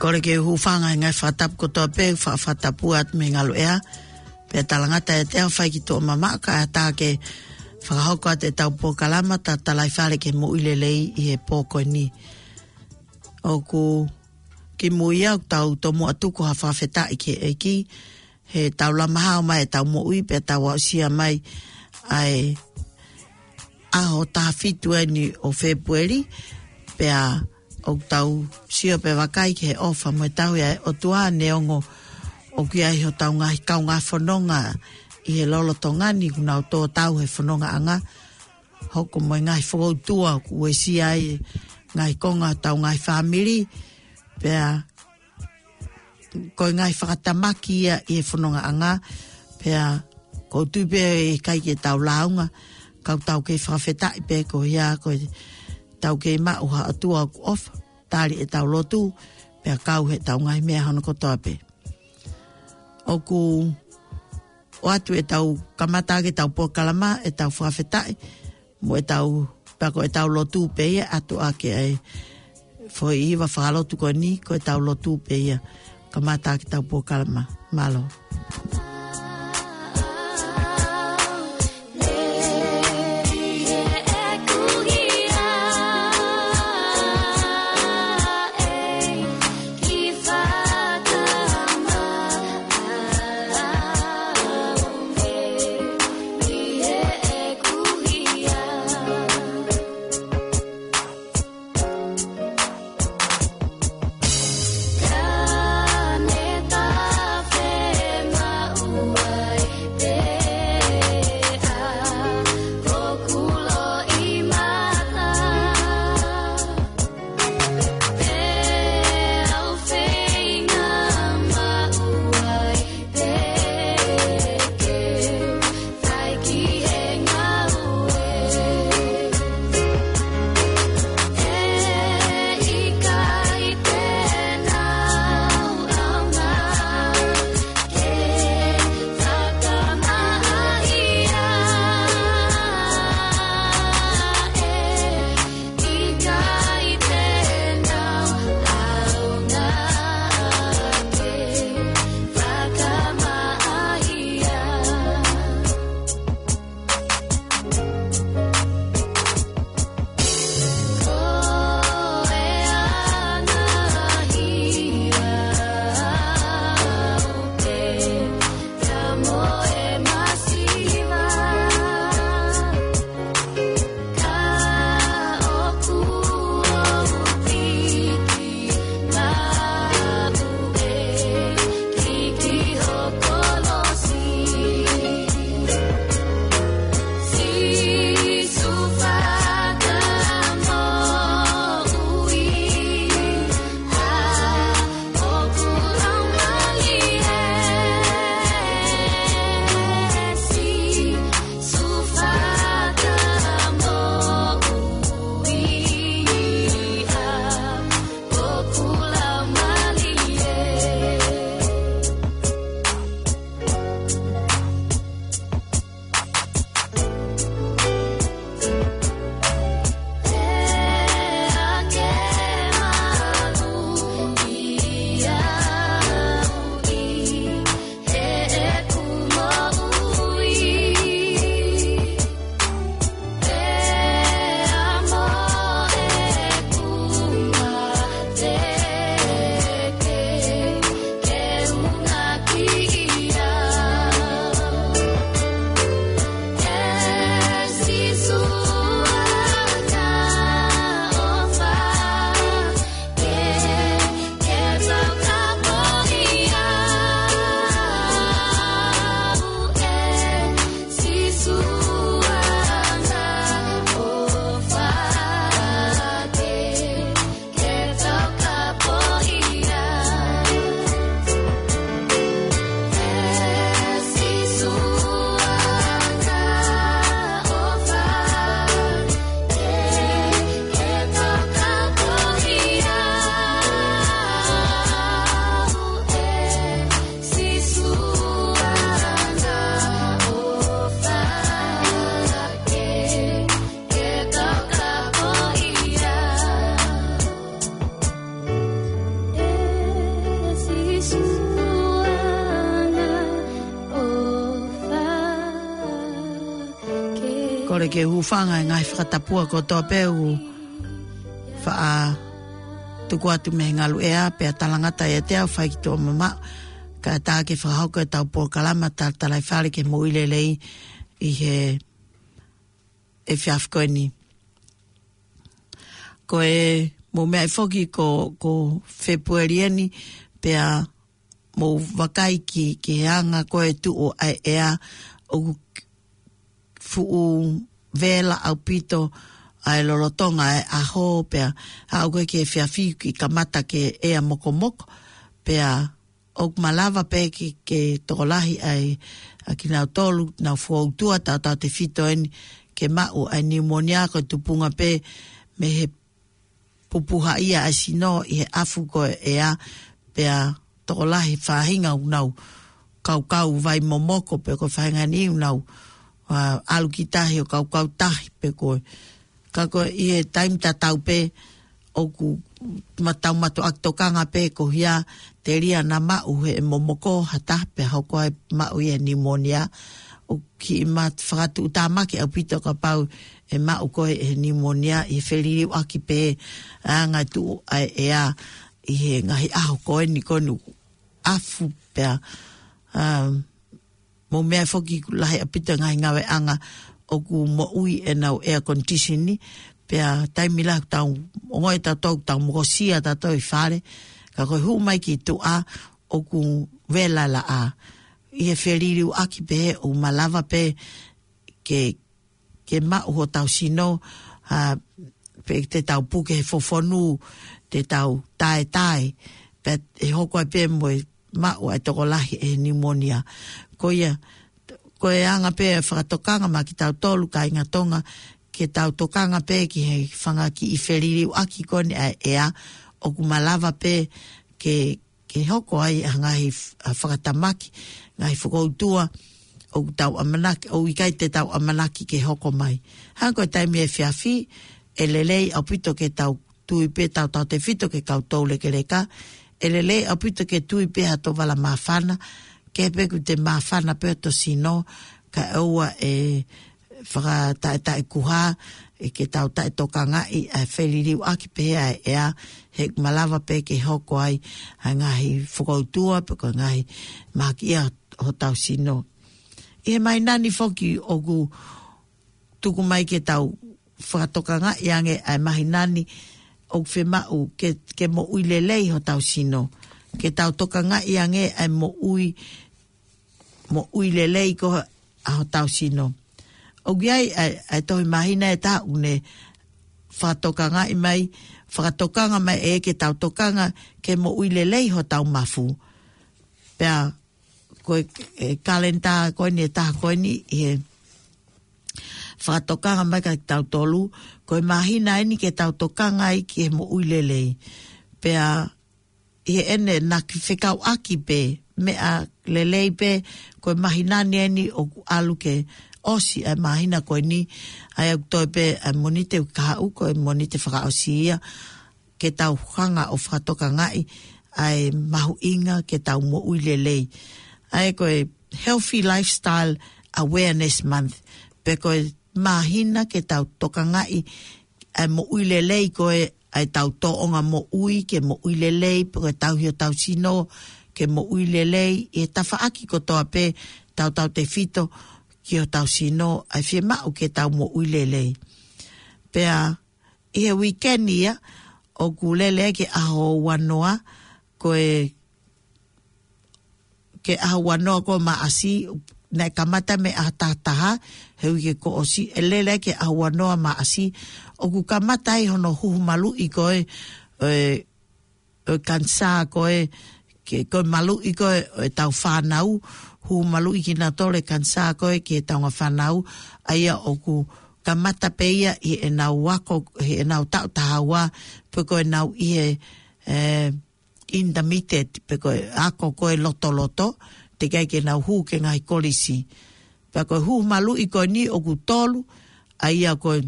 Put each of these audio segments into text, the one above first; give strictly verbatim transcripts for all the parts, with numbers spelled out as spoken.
Kole ke u hūfanga he ngaahi fakatapu kotoa pē, fa-, fakatapu atu mei he ngaluʻea. Pea talangata ʻiate au fai ki tuʻa mamaʻo kae ʻatā ke fakahoko atu ʻetau polokalama Tatalaifale ki he Moʻui Lelei ʻi he pō ko eni. ʻOku kimui au tau tomuʻa tuku ha fakafetaʻi ki he ʻEiki, he tau lama hao mai ʻetau moʻui pea tau aʻusia mai ʻa e ʻaho taha fitu eni ʻo Fēpueli, pea ʻoku tau sio pē vakai ki he ʻofa mo e tauhi ʻa e ʻOtua neongo ʻoku ʻi ai hotau ngaahi kaungā fononga ʻi he lolotonga ni kuo nau tō tau he fonongaʻanga, hoko mo e ngaahi fokoutua kuo uesia ai e ngaahi konga hotau ngaahi fāmili, pea ko e ngaahi fakatamaki ia ʻi he fonongaʻanga, pea ʻoku ou tui pē ʻe ʻikai ke tau lāunga, ka ʻoku tau kei fakafetaʻi pē ko ia ko e tau kei maʻu ha ʻOtua ʻoku ʻofa, tali ʻetau lotu, pea kau heʻetau ngaahi meʻa hono kotoa pē. ʻOku ʻoatu ʻetau kamata ʻaki ʻetau polokalama, ʻetau fakafetaʻi, mo ʻetau, pea ko ʻetau lotu pē ia, ʻoatu ʻaki ʻa e foʻi hiva fakalotu ko eni, ko ʻetau lotu pē ia, kamata ʻaki ʻetau polokalama. Mālō. Kole ke u hūfanga he ngaahi fakatapua kotoa pē ʻoku faʻa tuku atu mei he ngaluʻea, pea talangata ʻiate au, fai ki tuʻa mamaʻo, kae ʻatā ke fakahoko ʻetau polokalama talatalaifale ki he moʻui lelei ʻi he efiafi ko eni. Ko e mou meaʻi foki ko, ko Fēpueli eni, pea mou vakai ki, ki he anga ko e tuʻu ʻa e ʻea, ʻoku fuʻu vela ʻaupito ʻa e lolotonga ʻa e ʻaho, pea aʻu ko ē ki he efiafi kuo kamata ke ʻea mokomoko, pea ʻoku malava pē ke, ke tokolahi ai ʻa kinautolu, nau fokoutua, tautautefito eni ke maʻu ʻa e niumonia, ko e tupunga pē mei he pupuhaʻia ʻa e sino ʻi he ʻafu ko e ʻea, pea tokolahi faʻahinga ʻoku nau kaukau vai momoko, pe ko e faʻahinga ni ʻoku nau, ā, ʻalu ki tahi ʻo kaukau tahi, pe ko e. Ka ko e ʻi he taimi tatau pē ʻoku ma-, tau mātuʻaki tokanga pē ko e hia, telia naʻa maʻu ʻe he momoko ha taha pea hoko ai maʻu ia e niumonia. ʻOku kiʻi ma-, fakatuʻutāmaki ʻaupito kapau ʻe maʻu koe ʻe he niumonia ʻi he feliliuaki pē ʻa e anga tuʻu ʻa e ʻea ʻi he ngaahi ʻaho ko eni, ko eni ʻafu pea, um, mou meaʻi foki ʻoku lahi ʻaupito e ngaahi ngāueʻanga ʻoku moʻui ʻenau air condition, pea taimi lahi tau ongoʻi tautolu, tau mokosia tautolu ʻi fale, ka ko e hū mai ki tuʻa ʻoku vela laʻā. ʻI he feliliuaki pē ʻoku malava pē ke, ke maʻu hotau sino, ā, pe te tau puke he fofonu, te tau taetae, pea ʻe hoko ai pē mo e maʻu ʻa e tokolahi ʻe he niumonia. Ko ia, ko e anga pē e fakatokanga maʻa kitautolu kāinga Tonga, ke tau tokanga pē ki he fanga kiʻi feliliuaki ko eni ʻa e ʻea, ʻoku malava pē ke, ke hoko ai ʻa e ngaahi f-, ʻa e fakatamaki, ngaahi fokoutua, ʻoku tau ʻamanaki, ʻoku ʻikai te tau ʻamanaki ke hoko mai. Hangē ko e taimi efiafi, ʻe lelei ʻaupito ke tau tui pē tautautefito ki he kau toulekeleka, ʻe lelei ʻaupito ke tui pē hato vala māfana, ke pē kuo te māfana pē hoto sino, kae ʻoua ʻe fakataʻetaʻekuha, ʻe ke tau taʻetokangaʻi ʻa e feliliuaki pē ʻa e ʻea, he ʻoku malava pē ke hoko ai ʻa e ngaahi fokoutua, pe ko e ngaahi mahakiʻia hotau sino. ʻI he māhina ni foki ʻoku tuku mai ke tau fakatokangaʻi ange ʻa e māhina ni ʻoku fiemaʻu ke, ke moʻui lelei hotau sino. Ke tau tokangaʻi ange ʻa e moʻui, moʻui lelei ko ē ʻa hotau sino. ʻOku ʻi ai ʻa e, ʻa e tohi māhina ʻe taha ʻoku ne fakatokangaʻi mai, fakatokanga mai ʻe ke tau tokanga ke moʻui lelei hotau mafu. Pea ko e, e kalenda ko eni ʻe taha ko eni ʻi he fakatokanga mai kia kitautolu, ko e māhina eni ke tau tokanga ai ki he moʻui lelei. Pea ʻi heʻene naʻa ke fekauʻaki pē, meʻa lelei pē, ko e māhina ni eni ʻoku ʻalu ke ʻosi ʻa e māhina ko eni, ʻa ia ʻoku toe pē ʻa e Mōnite ʻoku kahaʻu, ko e Mōnite fakaʻosi ia, ke tau hanga ʻo fakatokangaʻi ʻa e mahuʻinga ke tau moʻui lelei. ʻA ia ko e Healthy Lifestyle Awareness Month, pe ko e māhina ke tau tokangaʻi ʻa e moʻui lelei ko ē, ʻa e tau tōʻonga moʻui ke moʻui lelei, pe ko e tauhi hotau sino ke moʻui lelei, ʻi he tafaʻaki kotoa pē tautautefito ki hotau sino, ʻa e fiemaʻu ke tau moʻui lelei. Pea ʻi he weekend ia, ʻoku lele ki he ʻaho uanoa, ko e, ki he ʻaho uanoa ko Maʻasi, naʻe kamata mei he ʻaho tahataha he uike kuo ʻosi, ʻe lele ki he ʻaho uanoa Maʻasi, ʻoku kamata ai hono huhu maluʻi ko ē, ē, ʻo e kanisā ko ē, ke, ko e maluʻi ko ē ʻo ʻetau fānau, huhu maluʻi kinautolu e kanisā ko ē ki heʻetau ngaahi fānau, ʻa ia ʻoku kamata pē ia ʻi heʻenau ako, ʻi heʻenau taʻu taha ua, pe ko ʻenau ʻi he, ē, intermediate, pe ko e ako ko ē lotoloto, teʻeki ai ke nau hū ki he ngaahi kolisi. Pea ko e huhu maluʻi ko eni ʻoku tolu, ʻa ia ko e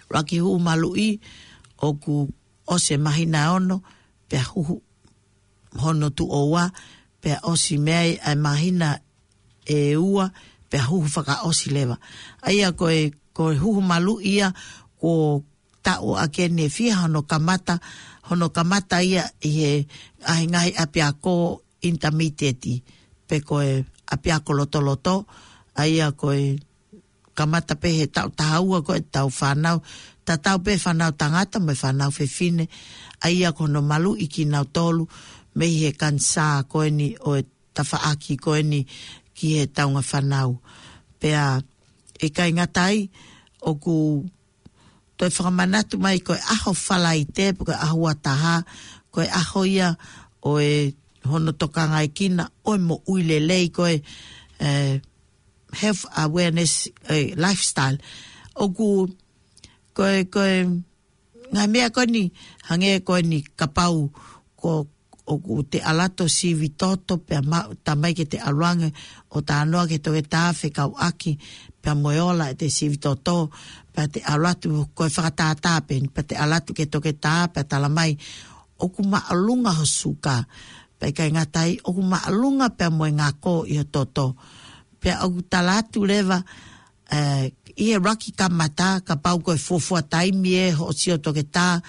ʻuluaki huhu maluʻi ʻoku ʻosi e māhina ono, pea huhu hono tuʻo ua, pea ʻosi mei ai ʻa e māhina ʻe ua, pea huhu fakaʻosi leva. ʻA ia ko e, ko e huhu maluʻi ia, ko taʻu ake ne fia hono kamata, hono kamata ia ʻi he ʻahingahi ʻapiako intermediate, pe ko e ʻapiako lotoloto, ʻa ia ko e kamata pē he taʻu taha ua ko e tau fānau, tatau pē fānau tangata mo e fānau fefine, ʻa ia ko hono maluʻi kinautolu, mei he kanisā ko eni ʻo e tafaʻaki ko eni ki he taunga fānau. Pea ʻikai ngata ai, ʻoku toe fakamanatu mai ko e ʻaho Falaite, pe ko e ʻaho ua taha, ko e ʻaho ia ʻo e hono tokangaekina ʻo e moʻui lelei ko e, eh, health awareness, eh, lifestyle. ʻOku, ko e, ko e, ngaahi meʻa ko eni, hangē ko eni kapau, ko, ʻoku te ʻalu atu ʻo sivi toto, pea ma-, talamai ke te ʻalu ange ʻo talanoa ki he toketā fekauʻaki, pea mo e ola ʻete sivi toto, pea te ʻalu atu ko e fakatātā pē, pea te ʻalu atu ki he toketā, pea talamai, ʻoku māʻolunga ho suka, pea ʻikai ngata ai, ʻoku māʻolunga pea mo e ngako ʻi ho toto. Pea ʻoku tala atu leva, eh, ʻi he ʻuluaki kamata, kapau ko e fuofua taimi ē hoʻo sio toketā,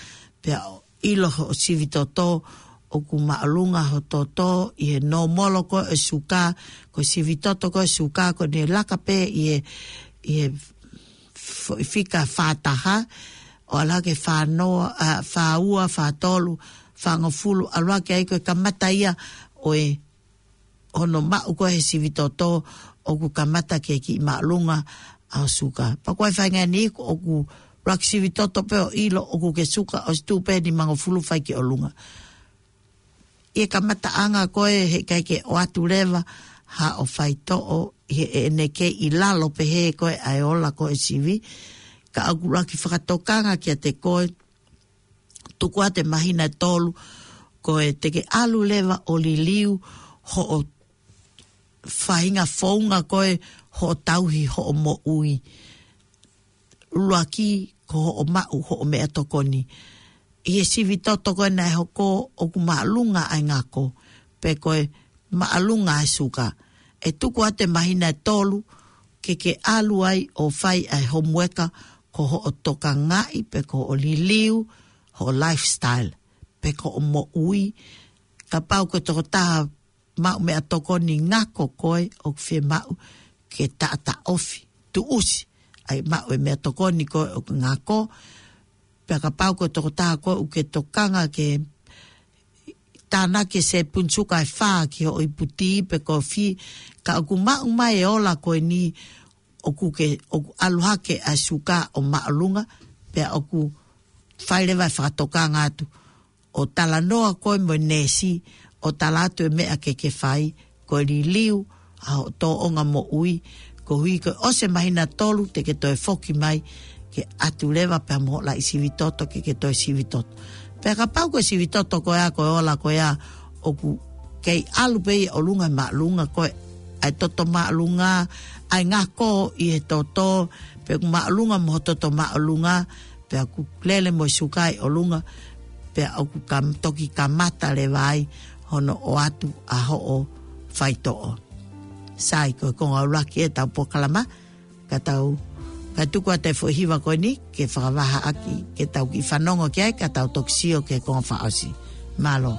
pea ʻilo hoʻo sivi toto, ʻoku māʻolunga ho toto, ʻi he nōmolo ko e suka, ko e sivi toto ko e suka, ko ʻene laka pē ʻi he, ʻi he f-, fika fā taha, ʻo ʻalu hake fā noa, ʻa, fā ua, fā tolu, fāngofulu, ʻalu hake ai ko e kamata ia ʻo e hono maʻu ko e he sivi toto ʻoku kamata ke kiʻi māʻolunga ʻa ho suka. Pea ko e faʻahinga ni ʻoku ʻuluaki sivi toto pē ʻo ʻilo ʻoku ke suka ʻosi tuʻu pē nimangofulu fai ki ʻolunga. ʻI he kamataʻanga ko e heʻikai ke ʻoatu leva haʻo faitoʻo ʻi he ʻene kei ʻi lalo pehē ko e ʻa e ola ko e sivi. Ka ʻoku ʻuluaki fakatokanga kiate koe, tuku atu e māhina ʻe tolu, ko e te ke ʻalu leva ʻo liliu hoʻo faʻahinga founga ko e hoʻo tauhi hoʻo moʻui. ʻUluaki ko hoʻo maʻu hoʻo meʻatokoni. ʻI he sivi toto ko e naʻe hoko ʻoku māʻolunga ʻa e ngako, pe ko e māʻolunga ʻa e suka. ʻE tuku atu e māhina ʻe tolu, ke ke ʻalu ai ʻo fai ʻa e homueka ko hoʻo tokangaʻi, pe ko hoʻo liliu, hoʻo lifestyle, pe ko hoʻo moʻui. Kapau ko e tokotaha maʻu meʻatokoni ngako koe, ʻoku fiemaʻu ke taʻataʻofi, tuʻusi, ʻa e maʻu e meʻatokoni ko e ʻoku ngako. Pea kapau ko e tokotaha koe ʻoku ke tokanga ke tānaki e sēpuni suka ʻe fā ki hoʻo ipu tī pe kofi, ka ʻoku maʻu mai e ola ko eni ʻoku ke, ʻoku ʻalu hake ʻa e suka ʻo māʻolunga, pea ʻoku fai leva e fakatokanga atu ʻo talanoa koe mo e neesi, ʻo tala atu e meʻa ke ke fai, ko e liliu ʻa hoʻo tōʻonga moʻui, koeʻuhi ko e ʻosi e māhina ʻe tolu te ke toe foki mai, ke ʻatu leva pea mo hoʻo laʻi sivi toto ke ke toe sivi toto. Pea kapau ko e sivi toto ko ia, ko e ola ko ia, ʻoku kei ʻalu pē ʻi ʻolunga māʻolunga ko e, ʻa e toto māʻolunga, ʻa e ngako ʻi he toto, pe ʻoku māʻolunga mo ho toto māʻolunga, pea ʻoku lele mo e suka ʻi ʻolunga, pea ʻoku kam-, toki kamata leva ai hono ʻoatu ʻa hoʻo faitoʻo. Sai, ko e konga ʻuluaki e tau polokalama, ka tau, ka tuku atu e foʻi hiva ko eni, ke fakavahaʻaki, ke tau kiʻi fanongo ki ai, ka tau toki sio ki he konga fakaʻosi. Mālō.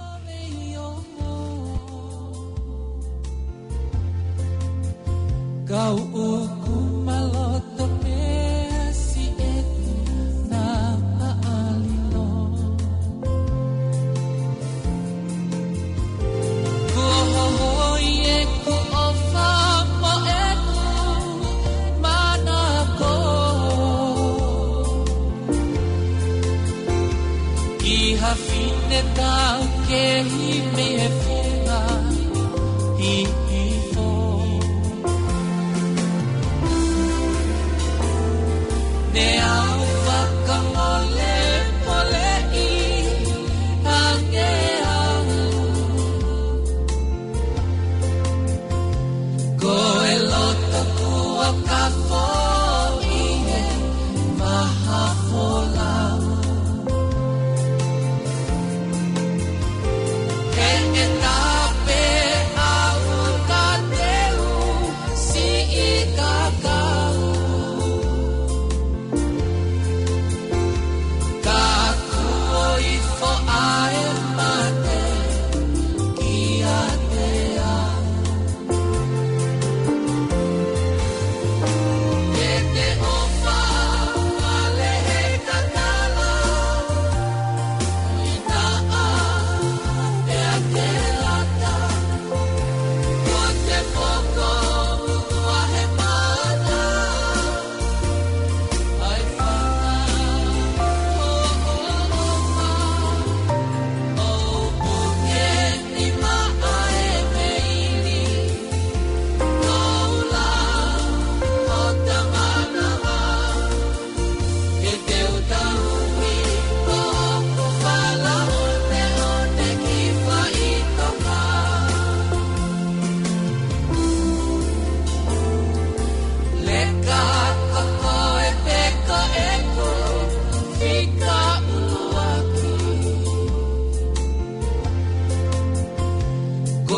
Kau ʻoku maloto pē si e na a alilo. Kuo hohoi ʻeku ʻofa mo ʻeku manako. ʻI ha fine tau kehi mei he fenga hihifo. Ne au fakamolemoleʻi ange au. Ko e loto kuo ka foʻi he maha folau. Ke ke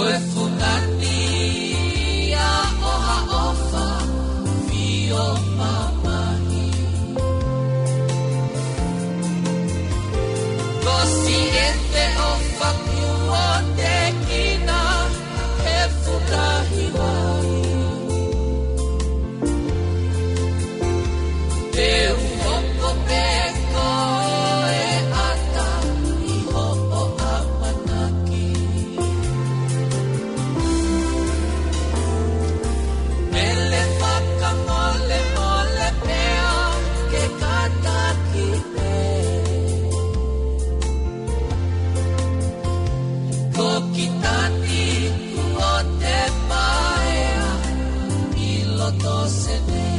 ʻOe fungani ia ʻo ha ʻofa fio mamahi. Ko siʻete ʻofa kuo te kina he futahi vai. Te u hoko pē ko e ʻata ʻi hoʻo ʻamanaki. Mele fakamolemole pea ke kātaki pē. Ko Kitani kuo te paea ʻi loto Senē.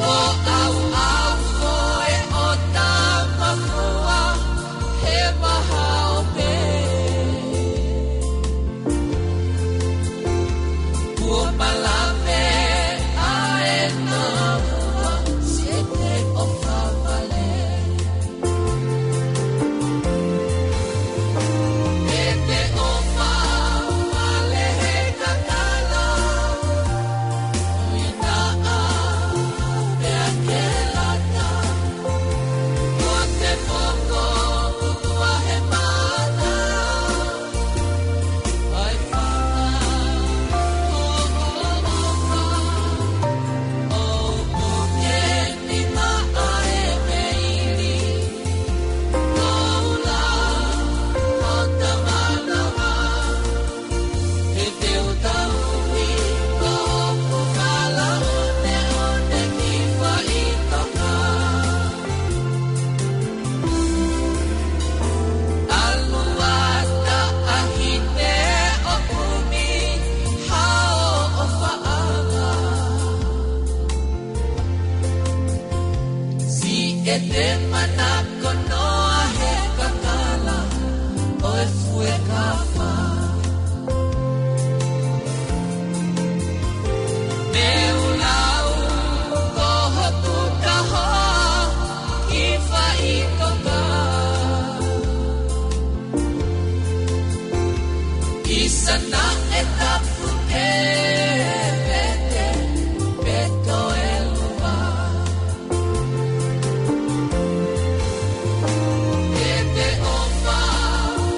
ʻO ʻauʻau foʻe ʻo Tamafua he maha ope. Kuo malave ʻa e nāua siʻete ʻofa vale. Siʻete ʻofa vale he kakala. ʻOi naʻa pea ke lata. Ko te poko utua he mata. ʻAlu ʻa taʻahine ʻo kumi hao ʻofaʻanga. Siʻete manako noa he kakala ʻo e fuekafa. Meulau ko hoku kahoa ki faʻitoka. ʻIsana e tapu ke vete pe toe luva. Siʻete ʻofa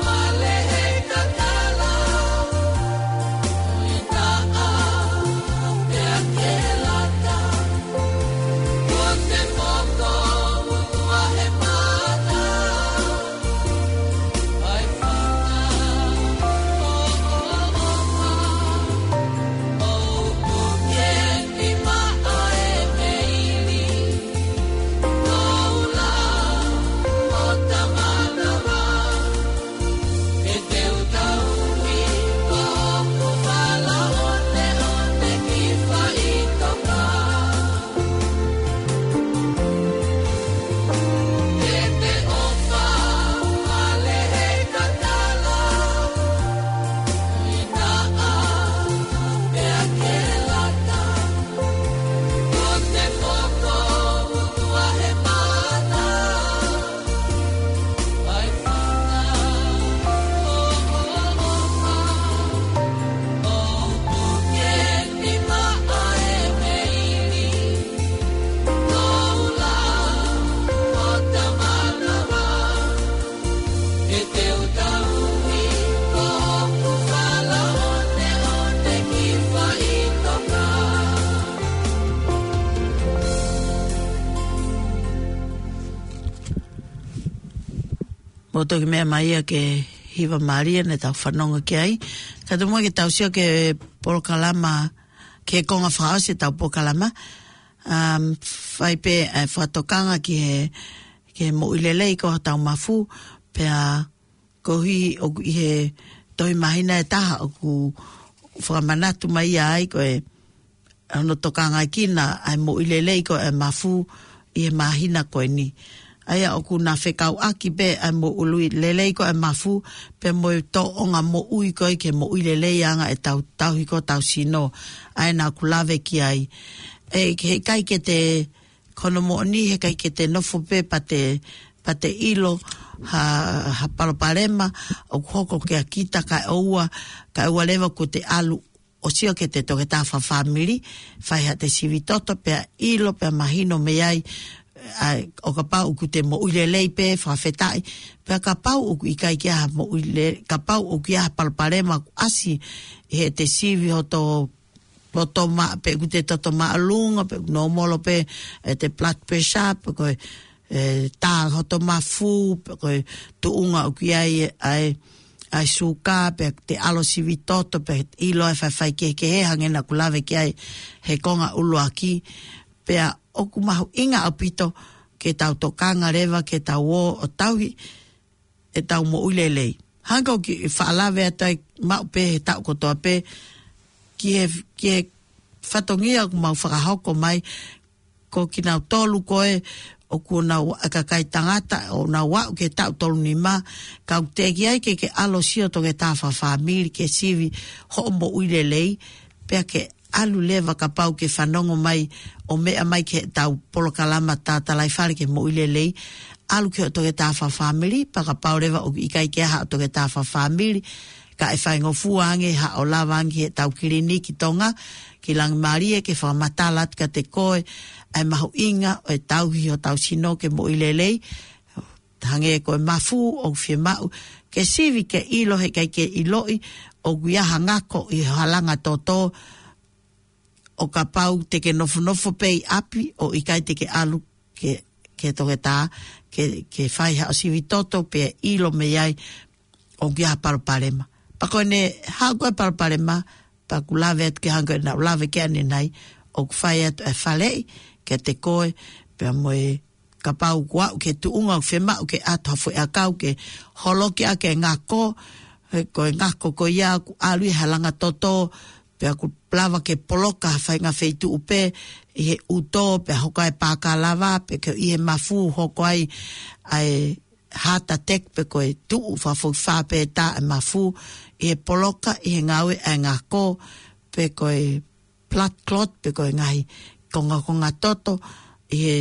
vale he kakala. ʻOi naʻa pea ke lata. Ko te poko utua he mata. Mou toki meʻa mai ia ki he hiva mālie naʻa tau fanongo ki ai. Ka te mou ke tau sio ki he polokalama, ki he konga fakaʻosi ʻetau polokalama. Um, fai pē, eh, fakatokanga ki he, ki he moʻui lelei ko hotau mafu, pea koeʻuhi ʻoku ʻi he tohi māhina ʻe taha ʻoku fakamanatu mai ai ko e hono tokangaʻi kinaua ʻa e moʻui lelei ko e mafu ʻi he māhina ko eni. ʻA ia ʻoku na fekauʻaki pē ʻa e moʻui lelei ko e mafu pea mo e tōʻonga moʻui ko e ke moʻui lelei ange ʻetau tauhi ko hotau sino, ʻa ia naʻa ku lave ki ai. ʻE, he ʻikai ke te, ko hono moʻoni he ʻikai ke te nofo pē pea te pea te ʻilo ha, ha palopalema ʻoku hoko kia kita kae ʻoua, kae ʻoua leva kuo te ʻalu ʻo sio ki heʻete toketā fakafāmili, fai haʻate sivi toto pea ʻilo pea mahino mei ai, ʻa, ʻo kapau ʻoku te moʻui lelei pē fakafetaʻi, pea kapau ʻoku ʻikai ke ʻi ai ha moʻui le-, kapau ʻoku ʻi ai ha palopalema ʻoku ʻasi ʻi heʻete sivi hoto loto mā-, pe ʻoku te toto māʻolunga, pe ʻoku nōmolo pē ʻete blood pressure, pe ko e, e, tā hoto mafu, pe ko e tuʻunga ʻoku ʻi ai ʻa e, ʻa e suka, pe te ʻalu ʻo sivi toto, pe ʻilo e faifai kehekehe hangē naʻa ku lave ki ai he konga ʻuluaki, pea ʻoku mahuʻinga ʻaupito ke tau tokanga leva ke tau ō ʻo tauhi ʻetau moʻui lelei. Hangē ko e kiʻi fakalave atu ai maʻu pē he taʻu kotoa pē ki he, ki he fatongia ʻoku mau fakahoko mai, ko kinautolu ko ē ʻoku nau ʻa e kakai tangata ʻo nau aʻu ki he taʻu tolu nima, ka ʻoku teʻeki ai ke ke ʻalu ʻo sio toketā fakafāmili ke sivi hoʻo moʻui lelei, pea ke ʻalu leva kapau ke fanongo mai ʻo meʻa mai ki heʻetau polokalama Tatalaifale ki he Moʻui Lelei, ʻalu ki hoʻo toketā fakafāmili, pea kapau leva ʻoku ʻikai ke ʻi ai haʻo toketā fakafāmili, ka ʻe faingofua ange haʻo lava ange ki heʻetau kiliniki Tonga ki Langimālie ke fakamatala atu kiate koe ʻa e mahuʻinga ʻo e tauhi hotau sino ke moʻui lelei, hangē ko e mafu ʻoku fiemaʻu ke sivi ke ʻilo he ʻikai ke ʻiloʻi ʻoku ʻi ai ha ngako ʻi ho halanga toto, ʻo kapau te ke nofonofo pē ʻi ʻapi ʻo ʻikai te ke ʻalu ke, ke toketā, ke, ke fai haʻo sivi toto pea ʻilo mei ai ʻoku ʻi ai ha palopalema. Pea ko ʻene haʻu ko ē palopalema, pea ʻoku lave atu ke hangē ko ē naʻa ku lave ki ai ʻanenai, ʻoku fai atu e faleʻi kiate koe, pea mo e kapau kuo aʻu ki he tuʻunga ʻoku fiemaʻu ke ʻatu ha foʻi ʻakau ke holoki ʻaki e ngako, he ko e ngako ko ia ʻoku ʻalu ʻi he halanga toto, pea ʻoku lava ke poloka ha faʻahinga feituʻu pē ʻi he ʻuto, pea hoko ai e pākalava, pe ko e ʻi he mafu hoko ai ʻa e heart attack, pe ko e tuʻu fakafokifā pē tā e mafu, ʻi he poloka, ʻi he ngāue ʻa e ngako, pe ko e blood clot, pe ko e ngaahi kongakonga toto, ʻi he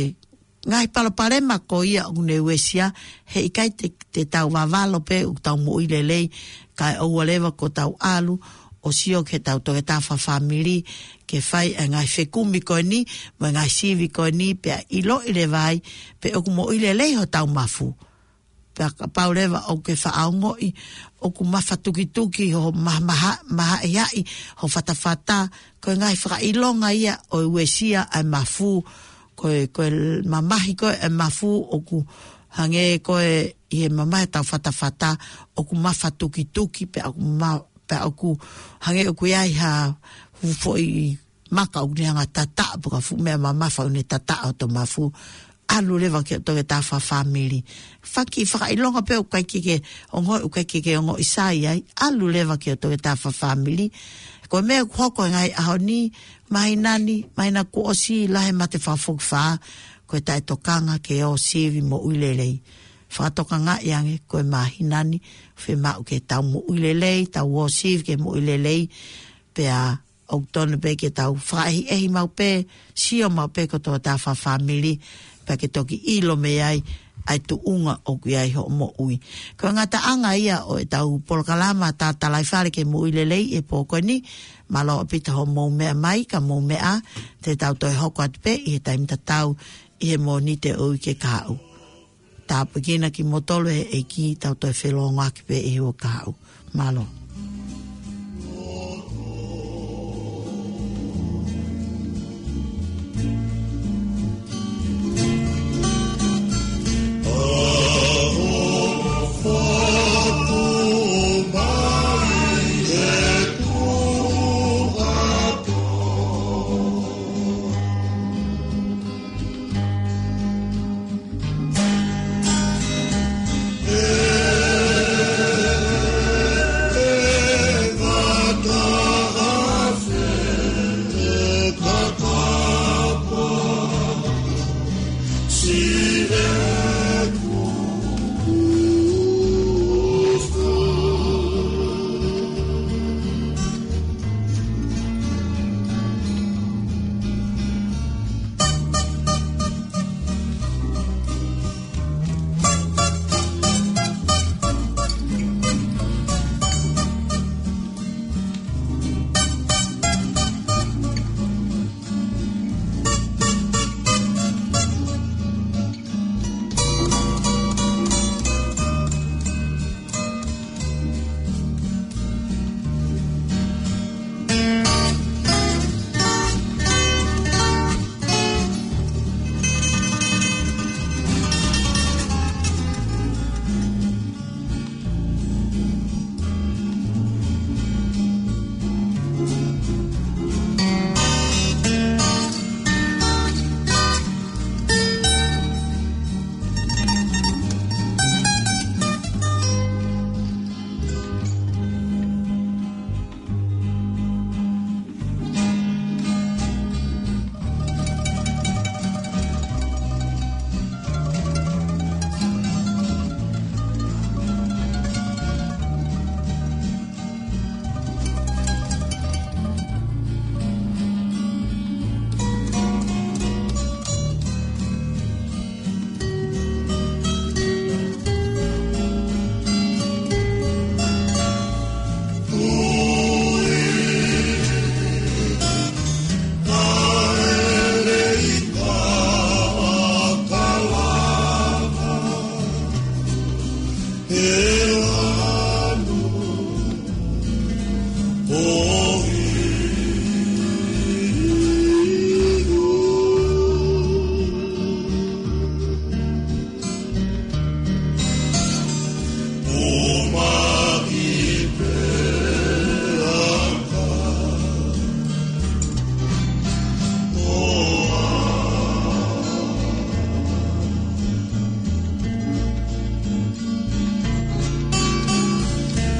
ngaahi palopalema ko ia ʻoku ne uesia, he ʻikai te, te tau vavalo pē ʻoku tau moʻui lelei, kae ʻoua leva kuo tau ʻalu ʻo sio ki heʻetau toketā fakafāmili, ke fai e ngaahi fekumi ko eni, mo e ngaahi sivi ko eni, pea ʻiloʻi leva ai pe ʻoku moʻui lelei hotau mafu. Pea kapau leva ʻoku ke faʻa ongoʻi ʻoku mafatukituki ho maha-, maha-, mahaʻihaʻi ho fatafata, ko e ngaahi fakaʻilonga ia ʻo e uesia ʻa e mafu, ko e, ko e mamahi ko ē e mafu ʻoku hangē ko ē ʻi he mamahi ʻetau fatafata ʻoku mafatukituki, pea ʻoku ma-, pea ʻoku hangē ʻoku ʻi ai ha fuʻu foʻi maka ʻoku ne hanga tataʻo, pe ko ha fuʻu meʻa mamafa ʻoku ne tataʻo hoto mafu. ʻAlu leva ki hoʻo toketā fakafāmili. Faki fakaʻilonga pē ʻoku ʻikai ke ke ongoʻi, ʻoku ʻikai ke ke ongoʻi sai ai. ʻAlu leva ki hoʻo toketā fakafāmili. Ko e meʻa ʻoku hoko he ngaahi ʻaho ni, māhina ni, māhina kuo ʻosi, lahi e mate fakafokifā, ko e taʻetokanga ke ō sivi moʻui lelei. Fakatokangaʻi ange, ko e māhina ni, fiemaʻu ke tau moʻui lelei, tau ō sivi ke moʻui lelei, pea ʻoku totonu pē ke tau fakaʻehiʻehi maʻu pē, sio maʻu pē ki hoʻo toketā fakafāmili, pea ke toki ʻilo mei ai ʻa e tuʻunga ʻoku ʻi ai hoʻo moʻui. Ko e ngataʻanga ia ʻo ʻetau polokalama Tatalaifale ki he Moʻui Lelei he pō ko eni, mālō ʻaupito hoʻomou meʻa mai, ka mou meʻa, te tau toe hoko atu pē ʻi he taimi tatau ʻi he Mōnite ʻo e uike kahaʻu. Tāpuekina kimoutolu ʻe he ʻEiki, tau toe felōngoaki pē ʻi he uike kahaʻu. Mālō.